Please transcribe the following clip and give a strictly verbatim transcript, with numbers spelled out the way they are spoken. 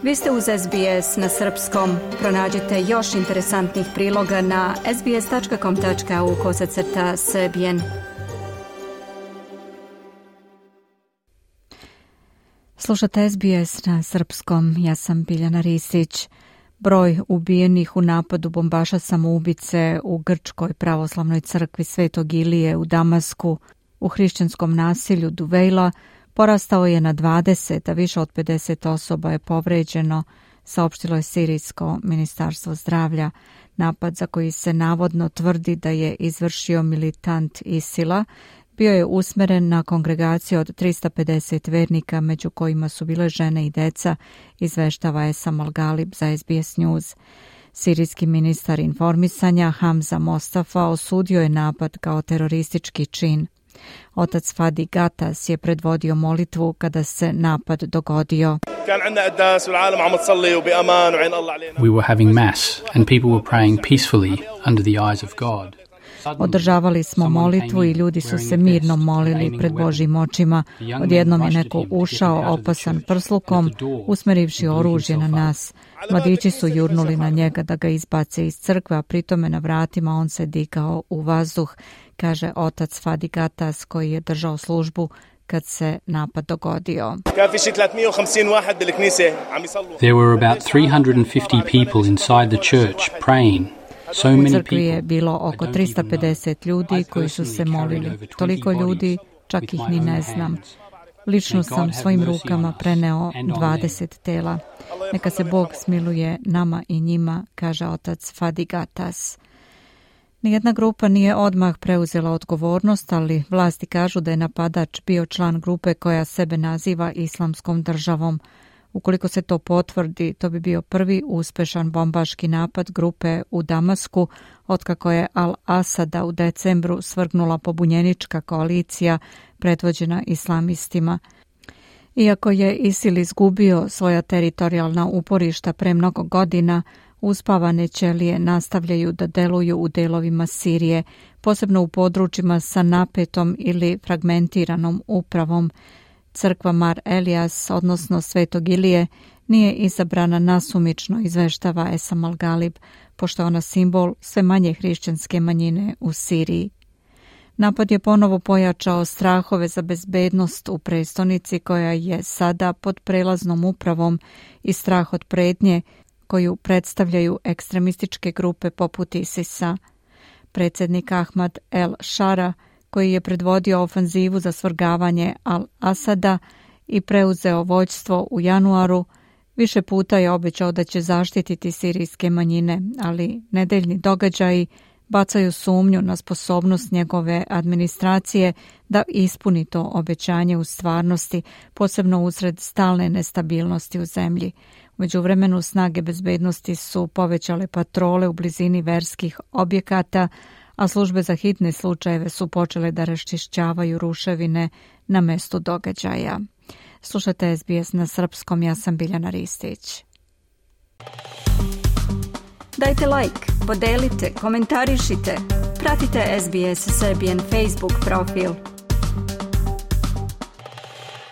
Vi ste uz S B S na srpskom. Pronađite još interesantnih priloga na sbs.com.au kosacrta srbijen. Slušate S B S na srpskom. Ja sam Biljana Ristić. Broj ubijenih u napadu bombaša samoubice u Grčkoj pravoslavnoj crkvi Svetog Ilije u Damasku u hrišćanskom nasilju Duvejla porastao je na dvadeset, a više od pedeset osoba je povređeno, saopštilo je Sirijsko ministarstvo zdravlja. Napad za koji se navodno tvrdi da je izvršio militant Isila bio je usmeren na kongregaciju od trista pedeset vernika, među kojima su bile žene i deca, izveštava Esam Al-Galib za S B S News. Sirijski ministar informisanja Hamza Mostafa osudio je napad kao teroristički čin. Otac Fadi Gatas je predvodio molitvu kada se napad dogodio. We were having mass and people were praying peacefully under the eyes of God. Održavali smo molitvu i ljudi su se mirno molili pred Božjim očima. Odjednom je neko ušao opasan prslukom, usmerivši oružje na nas. Mladići su jurnuli na njega da ga izbace iz crkve, a pritome na vratima on se digao u vazduh, kaže otac Fadi Gatas koji je držao službu kad se napad dogodio. There were about three hundred fifty people inside the church praying. So U crkvi je bilo oko trista pedeset ljudi koji su se molili. Toliko ljudi, čak ih ni ne znam. Lično sam svojim rukama preneo dvadeset tela. Neka se Bog smiluje nama i njima, kaže otac Fadi Gatas. Nijedna grupa nije odmah preuzela odgovornost, ali vlasti kažu da je napadač bio član grupe koja sebe naziva Islamskom državom. Ukoliko se to potvrdi, to bi bio prvi uspešan bombaški napad grupe u Damasku, otkako je Al-Asada u decembru svrgnula pobunjenička koalicija predvođena islamistima. Iako je ISIL izgubio svoja teritorijalna uporišta pre mnogo godina, uspavane ćelije nastavljaju da deluju u delovima Sirije, posebno u područjima sa napetom ili fragmentiranom upravom. Crkva Mar Elias, odnosno Svetog Ilije, nije izabrana nasumično, izveštava Esam Al-Galib, pošto je ona simbol sve manje hrišćanske manjine u Siriji. Napad je ponovo pojačao strahove za bezbednost u prestonici koja je sada pod prelaznom upravom i strah od pretnje koju predstavljaju ekstremističke grupe poput ISIS-a. Predsjednik Ahmad El-Shara, koji je predvodio ofanzivu za svrgavanje Al-Asada i preuzeo vođstvo u januaru, više puta je obećao da će zaštititi sirijske manjine, ali nedeljni događaji bacaju sumnju na sposobnost njegove administracije da ispuni to obećanje u stvarnosti, posebno usred stalne nestabilnosti u zemlji. U međuvremenu snage bezbednosti su povećale patrole u blizini verskih objekata, a službe za hitne slučajeve su počele da raščišćavaju ruševine na mestu događaja. Slušate S B S na srpskom, ja sam Biljana Ristić. Dajte like, podelite, komentarišite, pratite S B S Serbian Facebook profil.